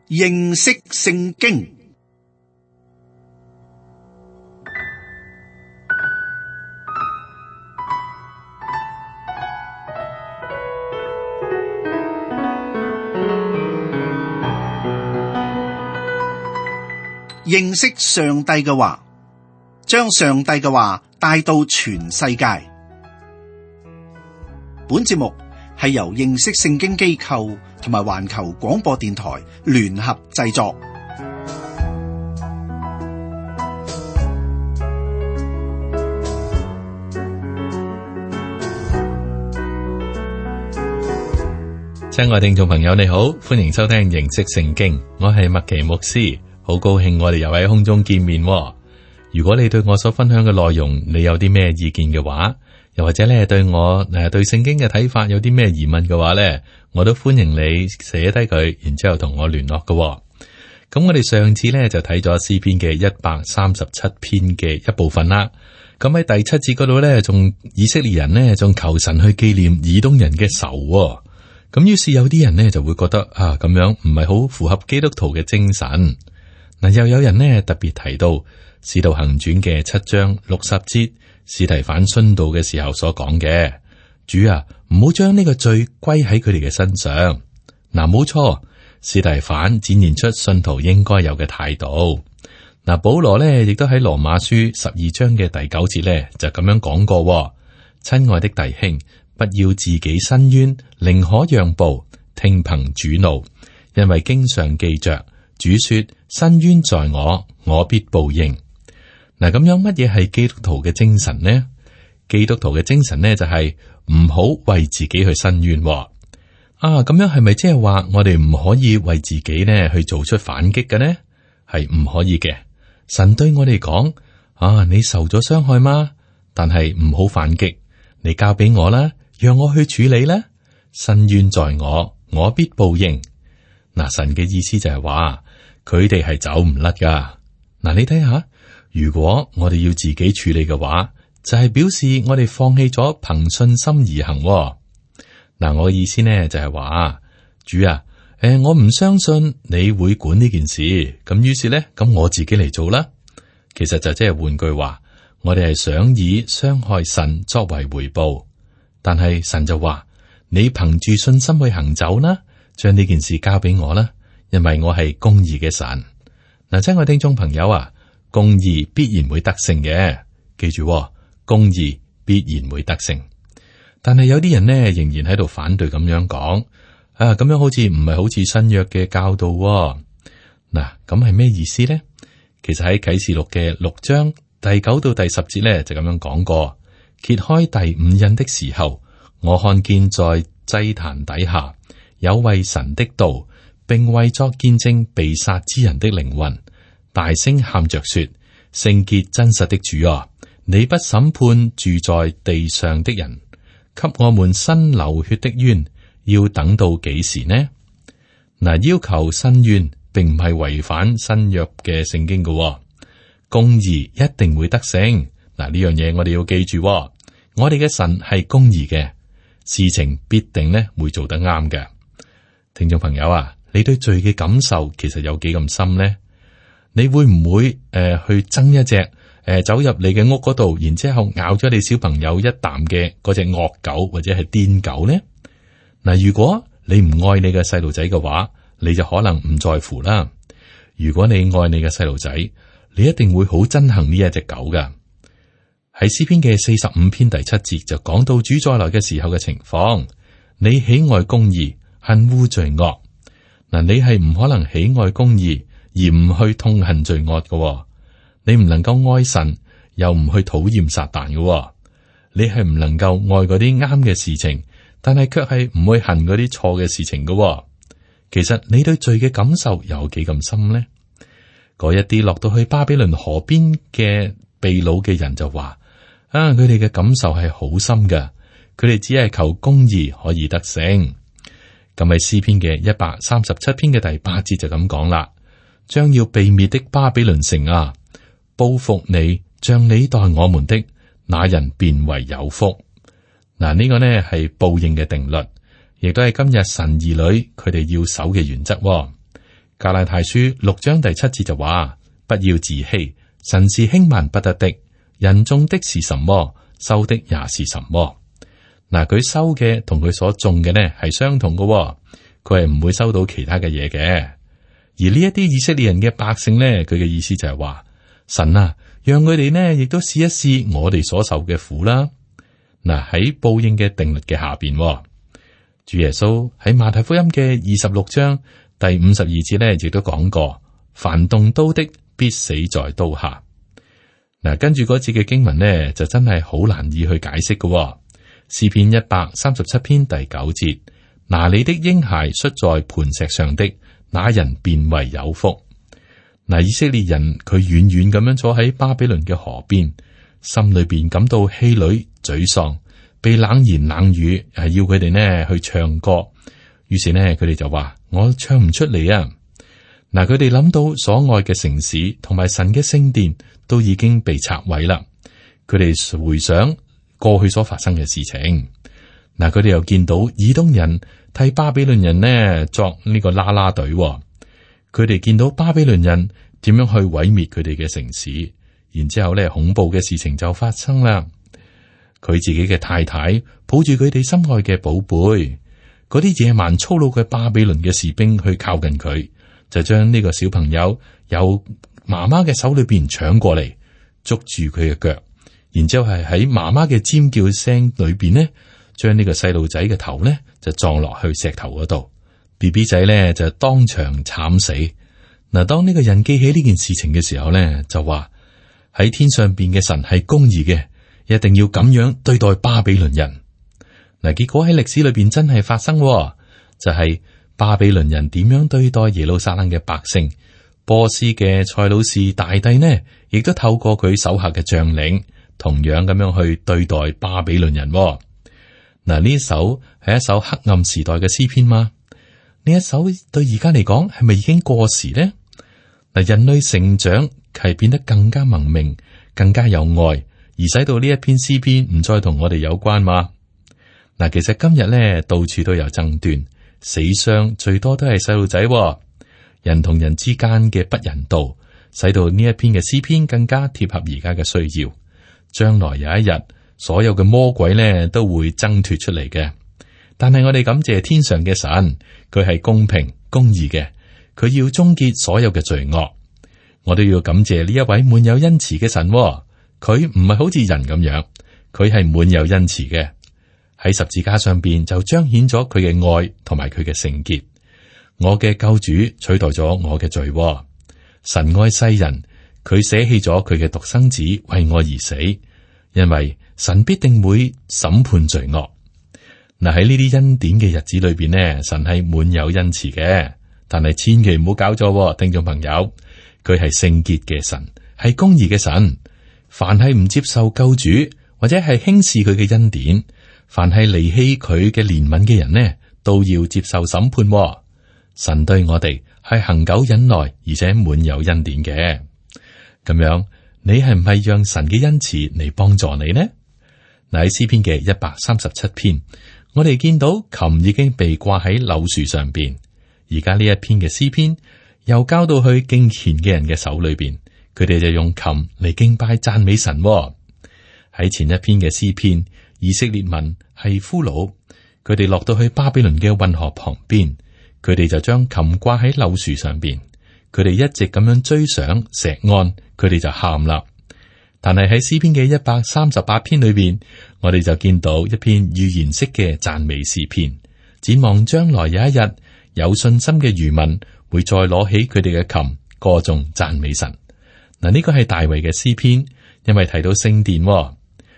認識聖經。認識上帝嘅話，將上帝嘅話帶到全世界。本節目係由認識聖經機構同埋環球廣播電台聯合製作。親愛聽眾朋友，你好，歡迎收聽認識聖經，我係麥奇牧師。好高興我哋又喺空中見面喎。如果你對我所分享嘅內容，你有啲咩意見嘅話，又或者咧對我對聖經嘅睇法有啲咩疑問嘅話咧，我都歡迎你寫低佢，然之後同我聯絡嘅喎。咁我哋上次咧就睇咗詩篇嘅137篇嘅一部分啦。咁喺第7節嗰度咧，仲以色列人呢，仲求神去紀念以東人嘅仇喎。咁於是有啲人呢，就會覺得咁樣唔係好符合基督徒嘅精神。嗱，又有人呢特別提到《使徒行傳》嘅7章60節，司提反殉道嘅時候所講嘅：主啊，唔好將呢個罪歸喺佢哋嘅身上。嗱，冇錯，司提反展現出信徒應該有嘅態度。嗱，保羅呢亦都喺羅馬書12章嘅第9節呢就咁樣講過：親愛的弟兄，不要自己申冤，寧可讓步，聽憑主怒，因為經上記着。主說：申冤在我，我必報應。嗱，咁樣乜嘢係基督徒嘅精神呢？基督徒嘅精神呢，就係唔好為自己去申冤。咁樣係咪即係話我哋唔可以為自己呢去做出反擊嘅呢？係唔可以嘅。神對我哋講：你受咗傷害嗎？但係唔好反擊，你交俾我啦，讓我去處理啦。申冤在我，我必報應。嗱，神嘅意思就係話，佢哋係走唔甩噶。嗱，你睇下，如果我哋要自己處理嘅話，就係表示我哋放棄咗憑信心而行。嗱，我嘅意思呢就係話，主啊，我唔相信你會管呢件事，咁於是呢，咁我自己嚟做啦。其實就即係換句話，我哋係想以傷害神作為回報，但係神就話，你憑住信心去行走啦。將呢件事交俾我啦，因為我係公義嘅神。嗱，親愛聽眾朋友啊，公義必然會得勝嘅，記住，公義必然會得勝。但係有啲人呢，仍然喺度反對咁樣講，咁樣好似唔係好似新約嘅教導。嗱，咁係咩意思呢？其實喺啟示錄嘅6章第9到第10節呢，就咁樣講過：揭開第5印的時候，我看見在祭壇底下，有為神的道，並為作見證被殺之人的靈魂，大聲喊着說：聖潔真實的主啊，你不審判住在地上的人，給我們伸流血的冤，要等到幾時呢？嗱，要求申冤，並唔係違反新約嘅聖經嘅，公義一定會得勝。嗱，呢樣嘢我哋要記住，我哋嘅神係公義嘅，事情必定呢會做得啱嘅。聽眾朋友啊，你對罪嘅感受其實有幾咁深呢？你會唔會去憎一隻走入你嘅屋嗰度，然之後咬咗你小朋友一啖嘅嗰隻惡狗或者係癲狗呢？嗱，如果你唔愛你嘅細路仔嘅話，你就可能唔在乎啦。如果你愛你嘅細路仔，你一定會好憎恨呢一隻狗噶。喺詩篇嘅45篇第7節就講到主再來嘅時候嘅情況，你喜愛公義，恨惡罪惡。嗱，你係唔可能喜愛公義而唔去痛恨罪惡嘅。你唔能夠愛神又唔去討厭撒旦嘅。你係唔能夠愛嗰啲啱嘅事情，但係卻係唔會恨嗰啲錯嘅事情嘅。其實你對罪嘅感受有幾咁深呢？嗰一啲落到去巴比倫河邊嘅被擄嘅人就話：佢哋嘅感受係好深㗎，佢哋只係求公義可以得勝。咁喺詩篇嘅137篇嘅第8節就咁講啦：將要被滅的巴比倫城啊，報復你，像你待我們的那人便為有福。嗱，呢個呢係報應嘅定律，亦都係今日神兒女佢哋要守嘅原則。加拉太書6章第7節就話：不要自欺，神是輕慢不得的。人種的是什麼，收的也是什麼。嗱，佢收嘅同佢所種嘅呢係相同嘅，佢係唔會收到其他嘅嘢嘅。而呢一啲以色列人嘅百姓呢，佢嘅意思就係話：神啊，讓佢哋呢亦都試一試我哋所受嘅苦啦。嗱，喺報應嘅定律嘅下邊，主耶穌喺馬太福音嘅26章第52節呢，亦都講過：凡動刀的，必死在刀下。嗱，跟住嗰節嘅經文呢，就真係好難以去解釋嘅。詩篇137篇第9節：拿你的嬰孩摔在磐石上的，那人便為有福。嗱，以色列人佢遠遠咁樣坐喺巴比倫嘅河邊，心裏邊感到氣餒沮喪，被冷言冷語係要佢哋呢去唱歌。於是呢，佢哋就話：我唱唔出嚟啊！嗱，佢哋諗到所愛嘅城市同埋神嘅聖殿都已經被拆毀啦。佢哋回想過去所發生嘅事情，嗱，佢哋又見到以東人替巴比倫人呢作呢個啦啦隊，佢哋見到巴比倫人點樣去毀滅佢哋嘅城市，然之後咧恐怖嘅事情就發生啦。佢自己嘅太太抱住佢哋心愛嘅寶貝，嗰啲野蠻粗魯嘅巴比倫嘅士兵去靠近佢，就將呢個小朋友由媽媽嘅手裏邊搶過嚟，捉住佢嘅腳。然之後係喺媽媽嘅尖叫聲裏邊呢，將呢個細路仔嘅頭呢就撞落去石頭嗰度 ，BB 仔呢就當場慘死。嗱，當呢個人記起呢件事情嘅時候呢，就話喺天上邊嘅神係公義嘅，一定要咁樣對待巴比倫人。嗱，結果喺歷史裏邊真係發生，就係巴比倫人點樣對待耶路撒冷嘅百姓。波斯嘅塞魯士大帝呢，亦都透過佢手下嘅將領，同樣咁樣去對待巴比倫人。嗱，呢一首係一首黑暗時代嘅詩篇嗎？呢一首對而家嚟講係咪已經過時呢？嗱，人類成長係變得更加文明，更加有愛，而使到呢一篇詩篇唔再同我哋有關嘛？嗱，其實今日咧到處都有爭端，死傷最多都係細路仔，人同人之間嘅不人道，使到呢一篇嘅詩篇更加貼合而家嘅需要。將來有一日，所有嘅魔鬼咧都會掙脫出嚟嘅。但係我哋感謝天上嘅神，佢係公平公義嘅，佢要終結所有嘅罪惡。我都要感謝呢一位滿有恩慈嘅神，佢唔係好似人咁樣，佢係滿有恩慈嘅。喺十字架上邊就彰顯咗佢嘅愛同埋佢嘅聖潔。我嘅救主取代咗我嘅罪。神愛世人，佢捨棄咗佢嘅獨生子為我而死，因為神必定會審判罪惡。嗱，喺呢啲恩典嘅日子裏邊呢，神係滿有恩慈嘅，但係千祈唔好搞錯，聽眾朋友，佢係聖潔嘅神，係公義嘅神。凡係唔接受救主或者係輕視佢嘅恩典，凡係離棄佢嘅憐憫嘅人呢，都要接受審判。神對我哋係恒久忍耐，而且滿有恩典嘅。咁樣，你係唔係讓神嘅恩慈嚟幫助你呢？嗱，喺詩篇嘅137篇，我哋見到琴已經被掛喺柳樹上邊，而家呢一篇嘅詩篇又交到去敬虔嘅人嘅手裏邊，佢哋就用琴嚟敬拜讚美神。喺前一篇嘅詩篇，以色列民係俘虜，佢哋落到去巴比倫嘅運河旁邊，佢哋就將琴掛喺柳樹上邊，佢哋一直咁樣追上錫安，佢哋就喊啦。但係喺詩篇嘅138篇裏邊，我哋就見到一篇預言式嘅讚美詩篇，展望將來有一日，有信心嘅餘民會再攞起佢哋嘅琴，歌頌讚美神。嗱，呢個係大衛嘅詩篇，因為提到聖殿，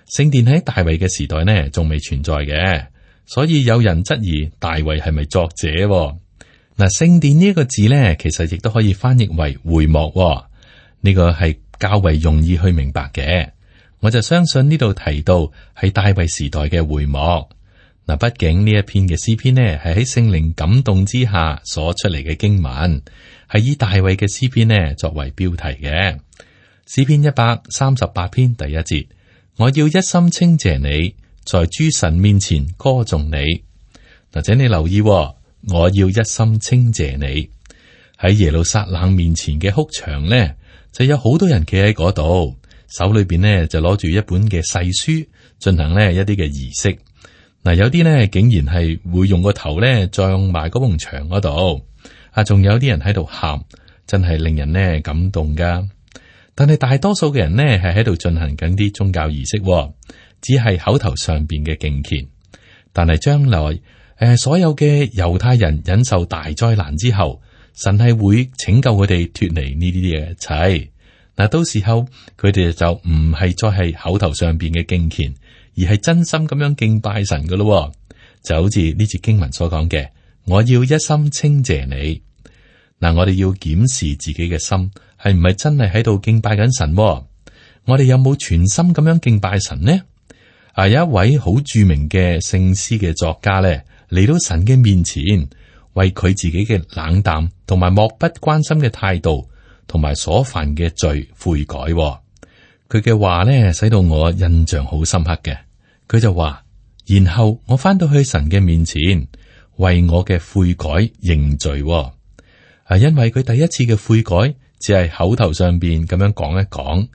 聖殿喺大衛嘅時代呢，仲未存在嘅，所以有人質疑大衛係咪作者。嗱，聖殿呢一個字呢，其實亦都可以翻譯為會幕，呢個係較為容易去明白嘅。我就相信呢度提到係大衛時代嘅會幕。嗱，畢竟呢一篇嘅詩篇呢，係喺聖靈感動之下所出嚟嘅經文，係以大衛嘅詩篇呢作為標題嘅。詩篇138篇第1節，我要一心稱謝你，在諸神面前歌頌你。嗱，請你留意，我要一心稱謝你。喺耶路撒冷面前嘅哭牆呢，就有好多人企喺嗰度，手裏邊呢就攞住一本嘅誓書，進行呢一啲嘅儀式。嗱，有啲呢竟然係會用個頭呢撞埋嗰埲牆嗰度，仲有啲人喺度喊，真係令人呢感動噶。但係大多數嘅人呢係喺度進行緊啲宗教儀式，只係口頭上邊嘅敬虔。但係將來所有嘅猶太人忍受大災難之後，神係會拯救佢哋脫離呢啲嘅一切。嗱，到時候佢哋就唔係再係口頭上邊嘅敬虔，而係真心咁樣敬拜神噶咯。就好似呢節經文所講嘅，我要一心稱謝你。嗱，我哋要檢視自己嘅心係唔係真係喺度敬拜緊神。我哋有冇全心咁樣敬拜神呢？有一位好著名嘅聖詩嘅作家咧，嚟到神嘅面前，為佢自己嘅冷淡同埋漠不關心嘅態度，同埋所犯嘅罪悔改。佢嘅話咧，使到我印象好深刻嘅。佢就話，然後我翻到去神嘅面前，為我嘅悔改認罪。因為佢第一次嘅悔改只係口頭上邊咁樣講一講，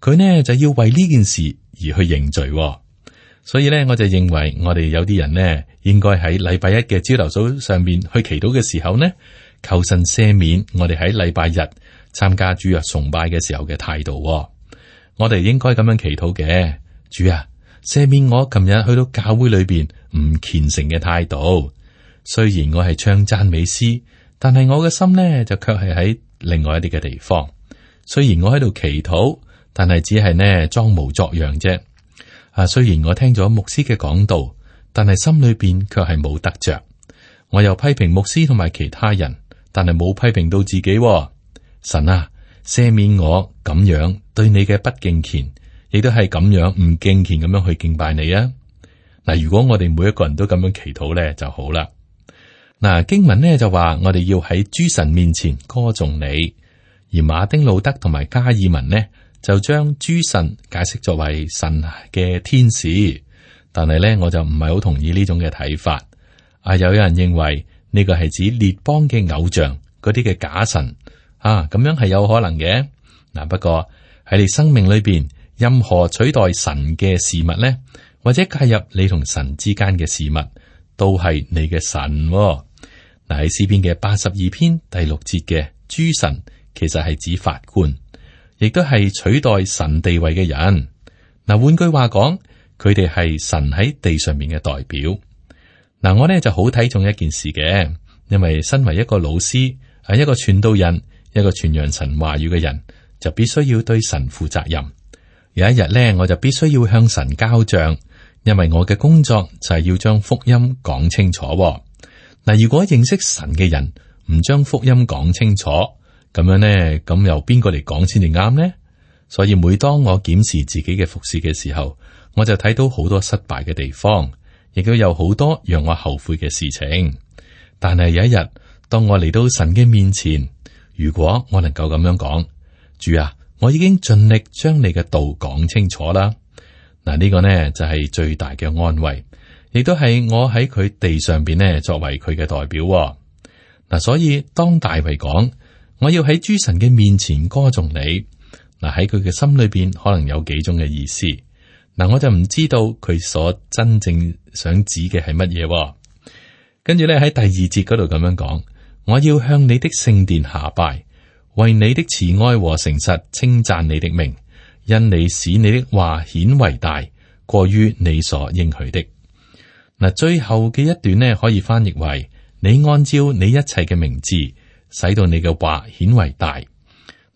佢呢就要為呢件事而去認罪。所以咧，我就認為我哋有啲人呢，應該喺禮拜一嘅朝頭早上邊去祈禱嘅時候呢，求神赦免我哋喺禮拜日參加主日崇拜嘅時候嘅態度。我哋應該咁樣祈禱嘅，主啊，赦免我琴日去到教會裏邊唔虔誠嘅態度。雖然我係唱讚美詩，但係我嘅心呢就卻係喺另外一啲嘅地方。雖然我喺度祈禱，但係只係呢裝模作樣啫。雖然我聽咗牧師嘅講道，但係心裏邊卻係冇得着。我又批評牧師同埋其他人，但係冇批評到自己。神啊，赦免我咁樣對你嘅不敬虔，亦都係咁樣唔敬虔咁樣去敬拜你啊！嗱，如果我哋每一個人都咁樣祈禱咧就好啦。嗱，經文呢就話我哋要喺諸神面前歌頌你，而馬丁路德同埋加爾文呢，就將諸神解釋作為神嘅天使，但係咧我就唔係好同意呢種嘅睇法。有人認為呢個係指列邦嘅偶像，嗰啲嘅假神咁樣係有可能嘅。嗱，不過喺你生命裏邊，任何取代神嘅事物咧，或者介入你同神之間嘅事物，都係你嘅神。嗱，喺詩篇嘅82篇第6節嘅諸神，其實係指法官。亦都係取代神地位嘅人。嗱，換句話講，佢哋係神喺地上面嘅代表。嗱，我呢就好睇重一件事嘅，因為身為一個老師，係一個傳道人，一個傳揚神話語嘅人，就必須要對神負責任。有一日呢，我就必須要向神交賬，因為我嘅工作就係要將福音講清楚。嗱，如果認識神嘅人唔將福音講清楚，咁樣呢，咁由邊個嚟講先至啱呢？所以每當我檢視自己嘅服侍嘅時候，我就睇到好多失敗嘅地方，亦都有好多讓我後悔嘅事情。但係有一日，當我嚟到神嘅面前，如果我能夠咁樣講，主啊，我已經盡力將你嘅道講清楚啦。嗱，呢個呢就係最大嘅安慰，亦都係我喺佢地上邊呢作為佢嘅代表。嗱，所以當大衛講，我要喺諸神嘅面前歌頌你。嗱，喺佢嘅心裏邊可能有幾種嘅意思。嗱，我就唔知道佢所真正想指嘅係乜嘢。跟住咧喺第二節嗰度咁樣講，我要向你的聖殿下拜，為你的慈愛和誠實稱讚你的名，因你使你的話顯為大，過於你所應許的。嗱，最後嘅一段呢，可以翻譯為你按照你一切嘅名字，使到你嘅話顯為大。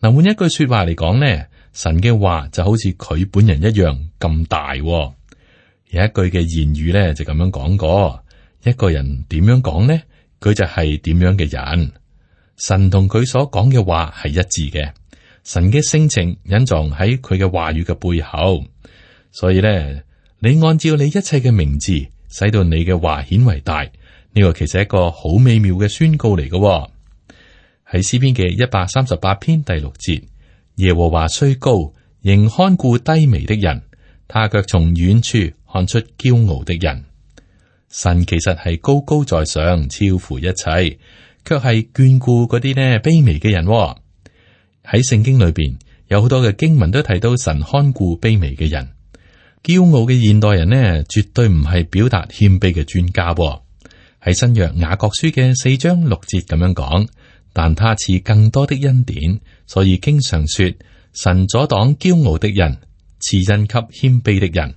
嗱，換一句說話嚟講呢，神嘅話就好似佢本人一樣咁大。有一句嘅言語咧就咁樣講過，一個人點樣講呢？佢就係點樣嘅人。神同佢所講嘅話係一致嘅，神嘅性情隱藏喺佢嘅話語嘅背後。所以咧，你按照你一切嘅名字，使到你嘅話顯為大，呢個其實係一個好美妙嘅宣告嚟嘅。喺詩篇嘅138篇第6節，耶和華雖高，仍看顧低微的人，他卻從遠處看出驕傲的人。神其實係高高在上，超乎一切，卻係眷顧嗰啲呢卑微嘅人喎。喺聖經裏邊有好多嘅經文都提到神看顧卑微嘅人。驕傲嘅現代人呢，絕對唔係表達謙卑嘅專家喎。喺新約雅各書嘅4章6節咁樣講，但他賜更多的恩典，所以經常說神阻擋驕傲的人，賜恩給謙卑的人。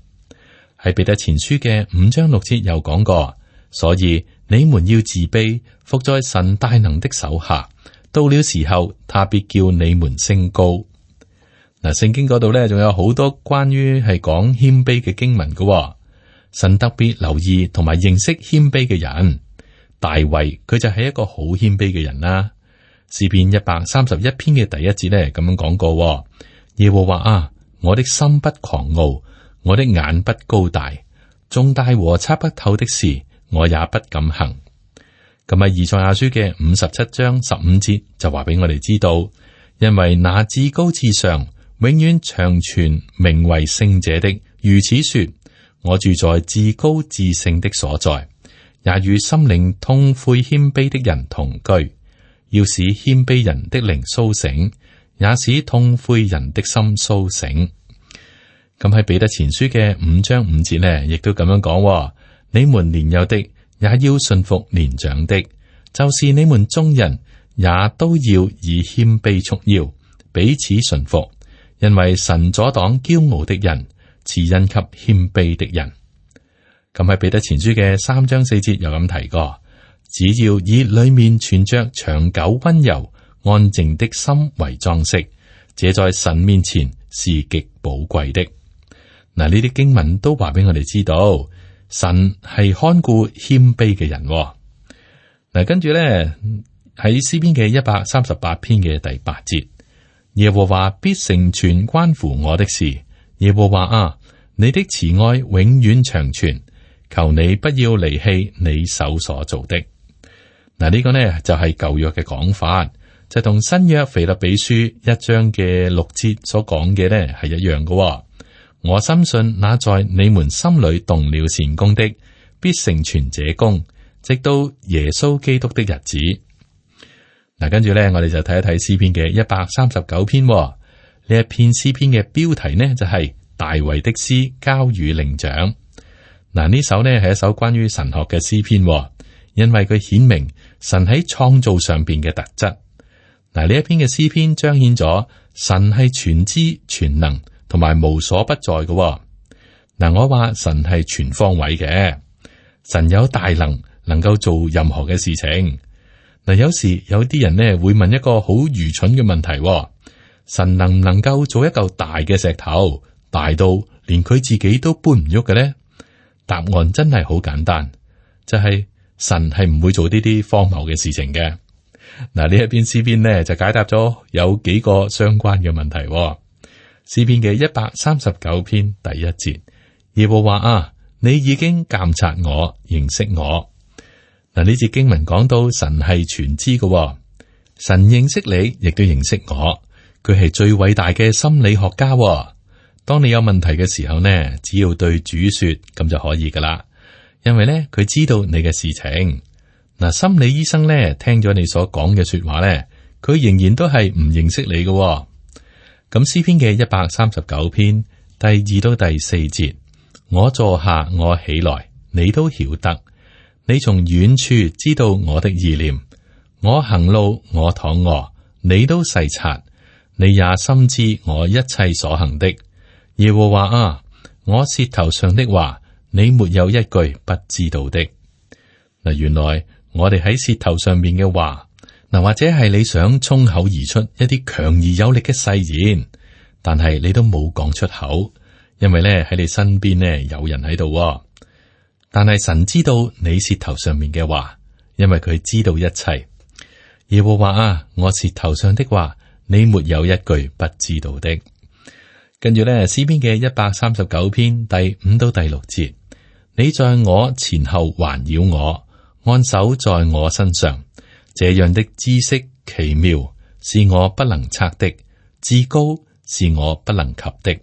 喺彼得前書嘅5章6節又講過，所以你們要自卑，伏在神大能的手下，到了時候，他必叫你們升高。嗱，聖經嗰度咧，仲有好多關於係講謙卑嘅經文嘅。神特別留意同埋認識謙卑嘅人。大衛佢就係一個好謙卑嘅人啦。詩篇131篇嘅第1節咧咁樣講過：耶和華啊，我的心不狂傲，我的眼不高大，重大和測不透的事，我也不敢行。咁喺以賽亞書嘅57章15節就話俾我哋知道，因為那至高至上、永遠長存、名為聖者的，如此說：我住在至高至聖的所在，也與心靈痛悔謙卑的人同居，要使謙卑人的靈蘇醒，也使痛悔人的心蘇醒。咁喺彼得前書嘅5章5節呢，亦都咁樣講：你們年幼的也要順服年長的，就是你們眾人也都要以謙卑束腰，彼此順服，因為神阻擋驕傲的人，賜恩給謙卑的人。咁喺彼得前書嘅3章4節又咁提過，只要以裏面存着長久溫柔安靜的心為裝飾，這在神面前是極寶貴的。嗱，呢啲經文都話俾我哋知道，神係看顧謙卑嘅人。嗱，跟住咧喺詩篇嘅138篇嘅第8節，耶和華必成全關乎我的事。耶和華啊，你的慈愛永遠長存，求你不要離棄你手所做的。嗱，呢個呢就係舊約嘅講法，就同新約腓立比書1章嘅6節所講嘅呢係一樣嘅。我深信那在你們心裏動了善工的，必成全這工，直到耶穌基督的日子。嗱，跟住呢，我哋就睇一睇詩篇嘅139篇。呢一篇詩篇嘅標題呢就係大衛的詩交與伶長。嗱，呢首呢係一首關於神學嘅詩篇，因為佢顯明神喺創造上邊嘅特質。嗱，呢一篇嘅詩篇彰顯咗神係全知全能同埋無所不在嘅。嗱，我話神係全方位嘅，神有大能，能夠做任何嘅事情。嗱，有時有啲人呢會問一個好愚蠢嘅問題：神能唔能夠做一嚿大嘅石頭，大到連佢自己都搬唔喐嘅呢？答案真係好簡單，就係神係唔會做呢啲荒謬嘅事情嘅。嗱，呢一篇詩篇呢就解答咗有幾個相關嘅問題。詩篇嘅139篇第1節，耶和華啊，你已經鑒察我，認識我。嗱，呢節經文講到神係全知嘅，神認識你，亦都認識我。佢係最偉大嘅心理學家。當你有問題嘅時候呢，只要對主說，咁就可以噶啦。因為呢，佢知道你嘅事情。嗱，心理醫生呢，聽咗你所講嘅說話呢，佢仍然都係唔認識你嘅。咁詩篇嘅139篇第2到第4節，我坐下，我起來，你都曉得。你從遠處知道我的意念，我行路，我躺臥，你都細察。你也深知我一切所行的。耶和華啊，我舌頭上的話，你沒有一句不知道的。嗱，原來我哋喺舌頭上面嘅話，嗱，或者係你想衝口而出一啲強而有力嘅誓言，但係你都冇講出口，因為咧喺你身邊呢有人喺度。但係神知道你舌頭上面嘅話，因為佢知道一切。耶和華啊，我舌頭上的話，你沒有一句不知道的。跟住咧，詩篇嘅139篇第5到第6節，你在我前後環繞我，按手在我身上，這樣的知識奇妙，是我不能測的，至高是我不能及的。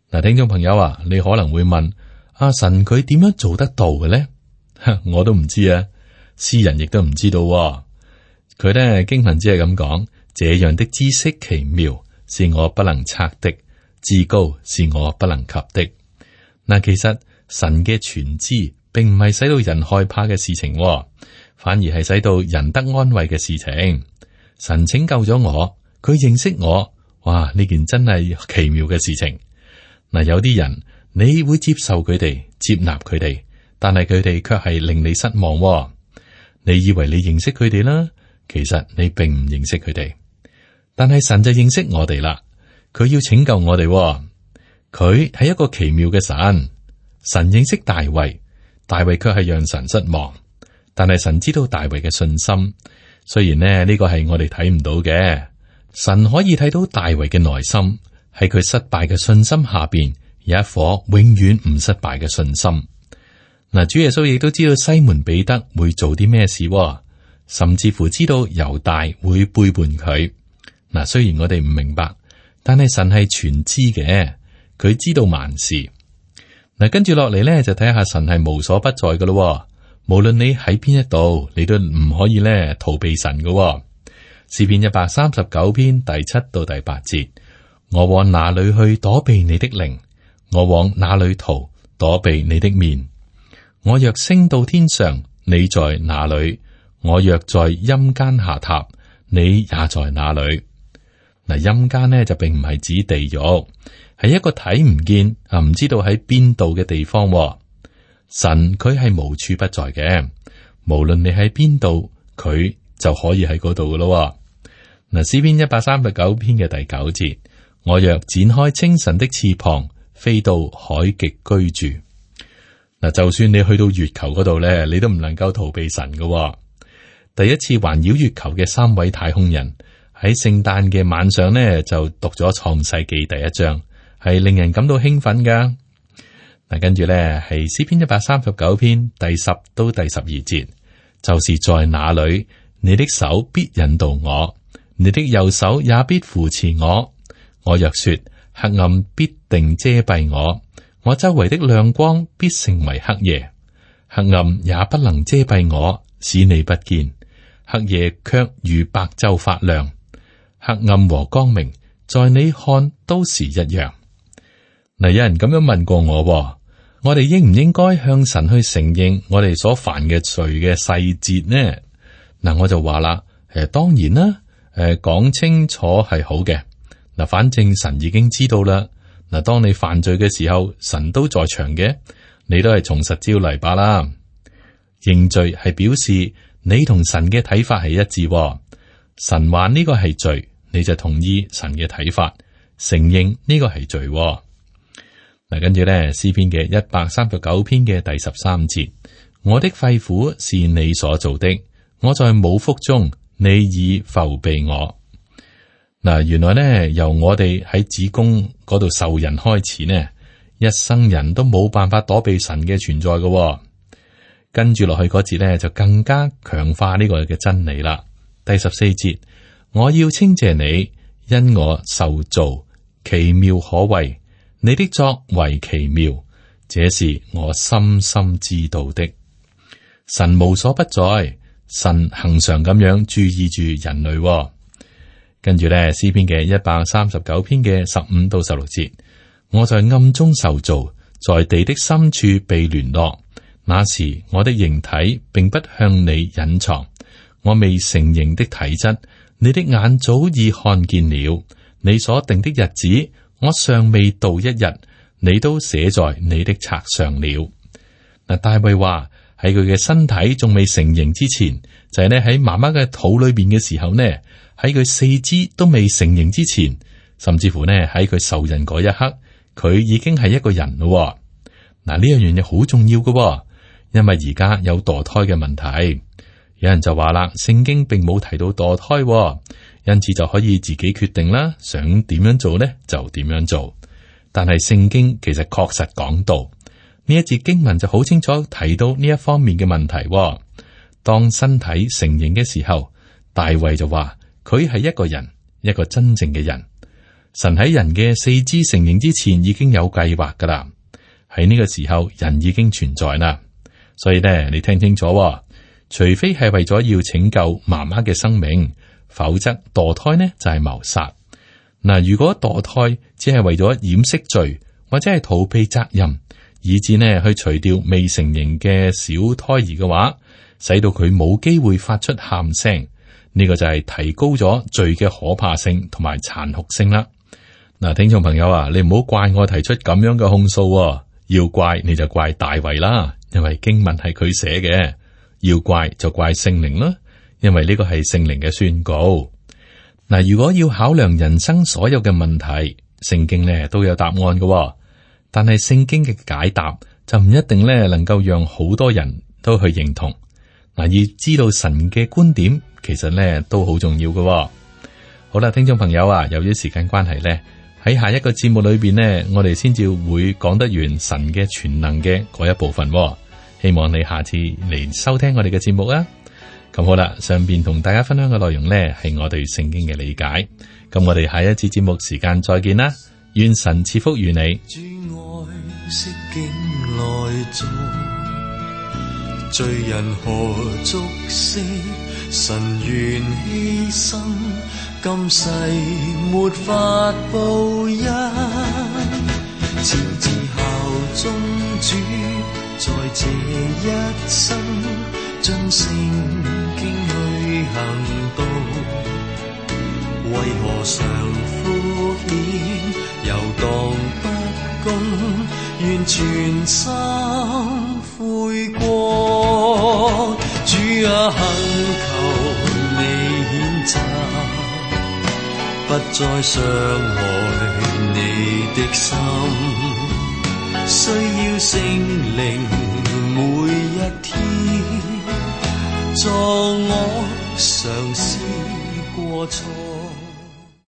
嗱，聽眾朋友啊，你可能會問：阿神佢點樣做得到嘅咧？我都唔知啊，詩人亦都唔知道。佢咧經文只係咁講，這樣的知識奇妙，是我不能測的，至高是我不能及的。嗱，其實神嘅全知並唔係使到人害怕嘅事情，反而係使到人得安慰嘅事情。神拯救咗我，佢認識我，哇！呢件真係奇妙嘅事情。嗱，有啲人你會接受佢哋，接納佢哋，但係佢哋卻係令你失望。你以為你認識佢哋啦，其實你並唔認識佢哋。但係神就認識我哋啦，佢要拯救我哋。佢係一個奇妙嘅神。神認識大衛，大衛卻係讓神失望。但係神知道大衛嘅信心，雖然呢個係我哋睇唔到嘅，神可以睇到大衛嘅內心，喺佢失敗嘅信心下邊有一顆永遠唔失敗嘅信心。嗱，主耶穌亦都知道西門彼得會做啲咩事，甚至乎知道猶大會背叛佢。嗱，雖然我哋唔明白，但係神係全知嘅，佢知道萬事。嗱，跟住落嚟咧，就睇下神係無所不在噶咯。無論你喺邊一度，你都唔可以咧逃避神噶。詩篇139篇第7到第8節，我往哪裏去躲避你的靈？我往哪裏逃躲避你的面？我若升到天上，你在哪裏？我若在陰間下榻，你也在哪裏？嗱，陰間呢就並唔係指地獄，係一個睇唔見啊，唔知道喺邊度嘅地方。神佢係無處不在嘅，無論你喺邊度，佢就可以喺嗰度噶咯。嗱，詩篇139篇嘅第9節，我若展開清晨的翅膀，飛到海極居住。嗱，就算你去到月球嗰度咧，你都唔能夠逃避神噶。第一次環繞月球嘅3位太空人喺聖誕嘅晚上呢，就讀咗創世紀第1章，係令人感到興奮噶。嗱，跟住咧係詩篇139篇第10到第12節，就是在那裏，你的手必引導我，你的右手也必扶持我。我若說黑暗必定遮蔽我，我周圍的亮光必成為黑夜，黑暗也不能遮蔽我，使你不見。黑夜卻如白晝發亮，黑暗和光明在你看都是一樣。嗱，有人咁樣問過我哋應唔應該向神去承認我哋所犯嘅罪嘅細節呢？嗱，我就話啦，當然啦，講清楚係好嘅。嗱，反正神已經知道啦。嗱，當你犯罪嘅時候，神都在場嘅，你都係從實招嚟罷啦。認罪係表示你同神嘅睇法係一致。神話呢個係罪，你就同意神嘅睇法，承認呢個係罪。嗱，跟住咧，詩篇嘅139篇嘅第13節，我的肺腑是你所造的，我在母腹中，你已覆庇我。嗱，原來咧，由我哋喺子宮嗰度受孕開始呢，一生人都冇辦法躲避神嘅存在嘅。跟住落去嗰節咧，就更加強化呢個嘅真理啦。第14節，我要稱謝你，因我受造奇妙可畏。你的作為奇妙，這是我深深知道的。神無所不在，神恆常咁樣注意住人類。跟住咧，詩篇嘅139篇嘅15到16節，我在暗中受造，在地的深處被聯絡。那時我的形體並不向你隱藏，我未成形的體質，你的眼早已看見了。你所定的日子，我尚未到一日，你都寫在你的冊上了。嗱，大衛話喺佢嘅身體仲未成形之前，就係呢喺媽媽嘅肚裏邊嘅時候呢，喺佢四肢都未成形之前，甚至乎呢喺佢受孕嗰一刻，佢已經係一個人咯。嗱，呢樣嘢好重要嘅，因為而家有墮胎嘅問題。有人就話啦，聖經並冇提到墮胎，因此就可以自己決定啦，想點樣做呢就點樣做。但係聖經其實確實講到呢一節經文就好清楚提到呢一方面嘅問題。當身體成形嘅時候，大衛就話佢係一個人，一個真正嘅人。神喺人嘅四肢成形之前已經有計劃噶啦，喺呢個時候人已經存在啦。所以咧，你聽清楚，除非係為咗要拯救媽媽嘅生命，否則墮胎呢就係謀殺。嗱，如果墮胎只係為咗掩飾罪，或者係逃避責任，以致呢去除掉未成形嘅小胎兒嘅話，使到佢冇機會發出喊聲，呢個就係提高咗罪嘅可怕性同埋殘酷性啦。嗱，聽眾朋友啊，你唔好怪我提出咁樣嘅控訴喎，要怪你就怪大衛啦，因為經文係佢寫嘅；要怪就怪聖靈啦，因為呢個係聖靈嘅宣告。嗱，如果要考量人生所有嘅問題，聖經呢都有答案嘅喎，但係聖經嘅解答就唔一定呢能夠讓好多人都去認同。嗱，要知道神嘅觀點，其實呢都好重要嘅喎。好啦，聽眾朋友啊，由於時間關係呢，喺下一個節目裏邊呢，我哋先至會講得完神嘅全能嘅嗰一部分喎。希望你下次嚟收聽我哋嘅節目啊！咁好啦，上邊同大家分享嘅內容呢，係我對聖經嘅理解。咁我哋下一次節目時間再見啦，願神賜福於你。主愛惜境內在，罪人何足惜？神願犧牲，今世沒法報恩。朝至效忠主，在這一生，盡聖經去行道。為何常敷衍，遊蕩不公？願全心悔過。主啊，懇求你譴責，不再傷害你的心。需要聖靈每一天，助我嘗試過錯。